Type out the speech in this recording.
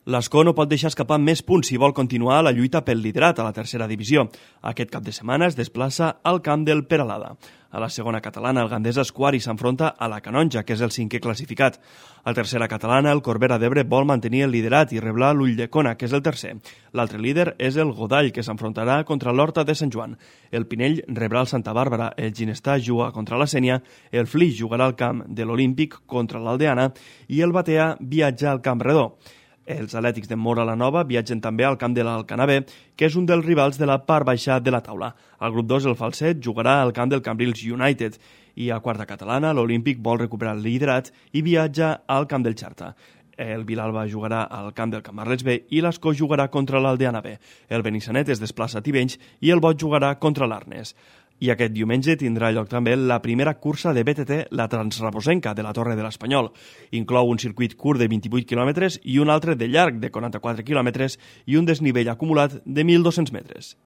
L'Escó no pot deixar escapar més punts si vol continuar la lluita pel liderat a la tercera divisió. Aquest cap de setmana es desplaça al camp del Peralada. A la segona catalana, el Gandesa Escuari s'enfronta a la Canonja, que és el cinquè classificat. A la tercera catalana, el Corbera d'Ebre vol mantenir el liderat i reblar l'Ulldecona, que és el tercer. L'altre líder és el Godall, que s'enfrontarà contra l'Horta de Sant Joan. El Pinell rebrà el Santa Bàrbara, el Ginestà juga contra la Sénia, el Flix jugarà al camp de l'Olímpic contra l'Aldeana i el Batea viatja al Camp Redó. Els Atlètics de Móra la Nova viatgen també al camp de l'Alcanavè, que és un dels rivals de la part baixa de la taula. Al grup 2, el Falset jugarà al camp del Cambrils United i a quarta catalana l'Olímpic vol recuperar el liderat i viatja al camp del Xarta. El Vilalba jugarà al camp del Camarles B i l'Escó jugarà contra l'Aldeana B. El Benissanet es desplaça a Tivenys i el Bot jugarà contra l'Arnes. I aquest diumenge tindrà lloc també la primera cursa de BTT, la Transrabosenca de la Torre de l'Espanyol. Inclou un circuit curt de 28 quilòmetres i un altre de llarg de 44 quilòmetres i un desnivell acumulat de 1.200 metres.